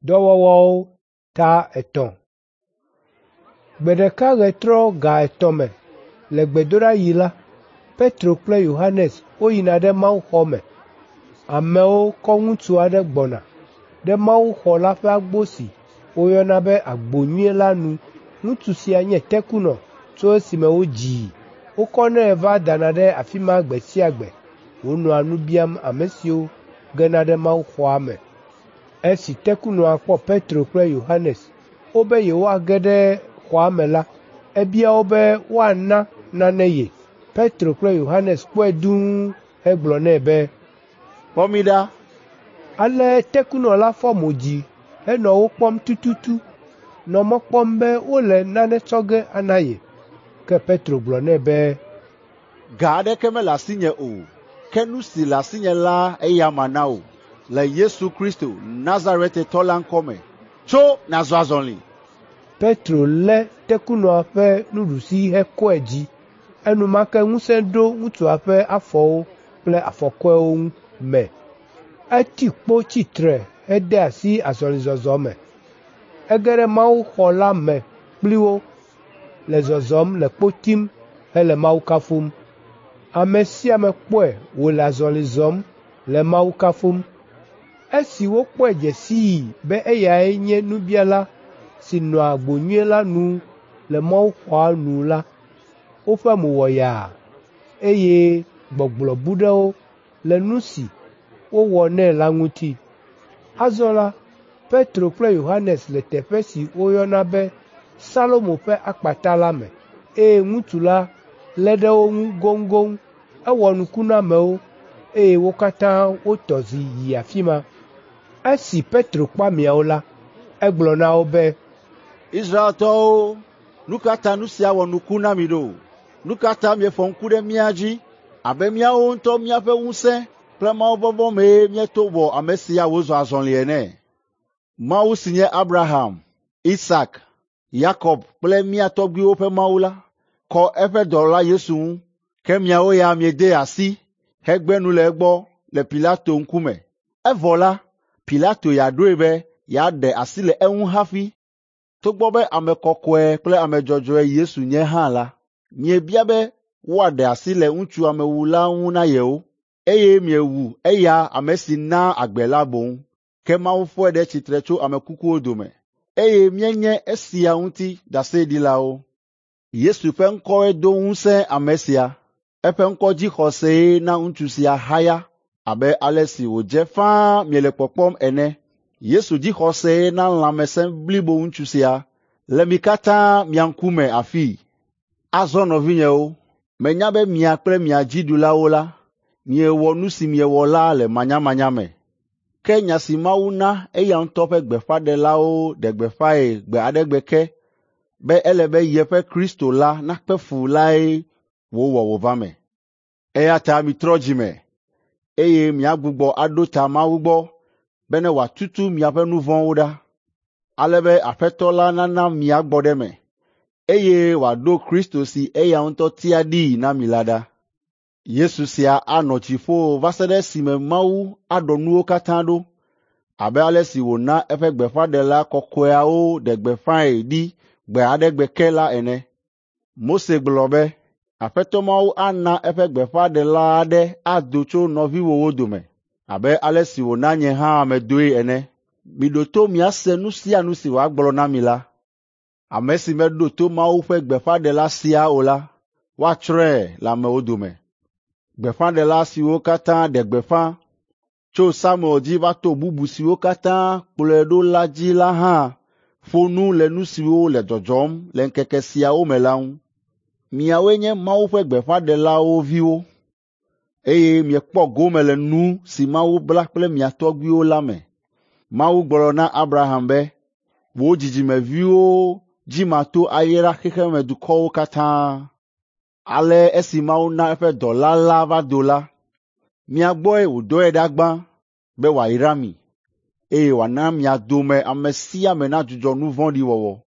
Dɔwɔwɔwo ta 3. Gbe ɖeka ɣetrɔ ga 3 me le gbedoɖaɣi la, Petro kple Yohanes woyina ɖe mawuxɔ me. Amewo kɔ ŋutsu aɖe gbɔna ɖe mawuxɔ la ƒe agbo si woyɔna be Agbo Nyui la nu. Ŋutsu sia nye tekunɔ tso esime wodzii. Wokɔnɛ va dana ɖe afi ma gbe sia gbe wònɔa nu biam ame siwo gena ɖe mawuxɔa me. Esi tekunɔa kpɔ Petro kple Yohanes wobe yewoage ɖe xɔa me la, ebia wo be woana nane ye. Petro kple Yohanes kpɔe dũu hegblɔ nɛ be, “Kpɔ mí ɖa.” Ale tekunɔ la fɔ mo dzi henɔ wo kpɔm tututu, nɔ mɔ kpɔm be wole nane tsɔ ge ana ye. Ke Petro gblɔ nɛ be, “Ga aɖeke mele asinye o, ke nu si le asinye la eya mana wò. Le Yesu Kristo, Nazaretetɔ la ŋkɔ me, tso nàzɔ azɔli.” Petro lé tekunɔa ƒe nuɖusi hekɔe dzi. Enumake ŋusẽ ɖo ŋutsua ƒe afɔwo kple afɔkɔewo me. Eti kpo tsi tre hede asi azɔlizɔzɔ me. Ege ɖe mawuxɔ la me kpli wo, le zɔzɔm le kpo tim hele Mawu kafum. Ame sia ame kpɔe wòle azɔli zɔm le Mawu kafum. Esi wokpɔe dze sii be eyae nye nubiala si nɔa agbo nyui la nu le mawuxɔa nu la, woƒe mo wɔ yaa, eye gbɔgblɔ bu ɖe wo le nu si wowɔ nɛ la ŋuti. Azɔ la, Petro kple Yohanes le teƒe si woyɔna be Salomo ƒe akpata la me, eye ŋutsu la lé ɖe wo ŋu goŋgoŋ. Ewɔ nuku na amewo, eye wo katã wotɔ zi yi afi ma. Esi Petro kpɔ ameawo la, egblɔ na wo be, “Israeltɔwo, nu ka ta nu sia wɔ nuku na mi ɖo? Nu ka ta miefɔ ŋku ɖe mía dzi abe míawo ŋutɔ míaƒe ŋusẽ kple mawuvɔvɔ̃ mee míeto wɔ ame sia wòzɔ azɔli ene? Mawu si nye Abraham, Isak, Yakob kple mía tɔgbuiwo ƒe Mawu la, kɔ eƒe dɔla Yesu ŋu, ke miawo ya miedee asi hegbe nu le egbɔ le Pilato ŋkume. Evɔ la, Pilato ya ɖoe be yeaɖe asi le eŋu hafi. Togbɔ be ame kɔkɔe kple ame dzɔdzɔe Yesu nye hã la, miebia be woaɖe asi le ŋutsu amewula ŋu na yewo, eye miewu eya ame si naa agbe la boŋ. Ke Mawu fɔe ɖe tsitre tso ame kukuwo dome, eye míenye esia ŋuti ɖaseɖilawo. Yesu ƒe ŋkɔe do ŋusẽ ame sia. Eƒe ŋkɔ dzixɔsee na ŋutsu sia haya abe ale si wòdze ƒãa miele kpɔkpɔm ene. Yesu dzixɔsee na lãmesẽ blibo ŋutsu sia le mi katã mia ŋkume afii. Azɔ nɔvinyewo, menya be mia kple mia dziɖulawo la, miewɔ nu si miewɔ la le manyamanya me. Ke nya si Mawu na eya ŋutɔ ƒe gbeƒãɖelawo ɖe gbeƒãe gbe aɖe gbe ke be ele be yeƒe Kristo la nakpe fu lae wòwɔ wòva me. Eya ta mitrɔ dzime, eye miagbugbɔ aɖo ta Mawu gbɔ bene wòatutu miaƒe nu vɔ̃wo ɖa, ale be Aƒetɔ la nana miagbɔ ɖe eme, eye wòaɖo Kristo si eya ŋutɔ tia ɖii na mi la ɖa. Yesu sia anɔ dziƒo va se ɖe esime Mawu aɖɔ nuwo katã ɖo, abe ale si wòna eƒe gbeƒãɖela kɔkɔeawo ɖe gbeƒãe ɖi gbe aɖe gbe ke la ene. Mose gblɔ be, Aƒetɔ Mawu ana eƒe gbeƒãɖela aɖe ado tso nɔviwòwo dome abe ale si wòna nye hã medoe ene. Miɖo to miase nu sia nu si wòagblɔ na mi la. Ame si meɖo to Mawu ƒe gbeƒãɖela sia o la, woatsrɔ̃e le amewo dome. Gbeƒãɖela siwo katã ɖe gbeƒã tso Samuel dzi va to bubu siwo katã kplɔe ɖo la dzi la hã ƒo nu le nu siwo le dzɔdzɔm le ŋkeke siawo me la ŋu. Miawoe nye Mawu ƒe gbeƒãɖelawo viwo, eye miekpɔ gome le nu si Mawu bla kple mia tɔgbuiwo la me. Mawu gblɔ na Abraham be, ‘Wò dzidzimeviwo dzi mato ayra xexemedukɔwo katã.’ Ale esi Mawu na eƒe dɔla la va do la, mia gbɔe wòdɔe ɖa gbã be wòayra mi, eye wòana mia dome ame sia ame nadzudzɔ nu vɔ̃ɖi wɔwɔ.”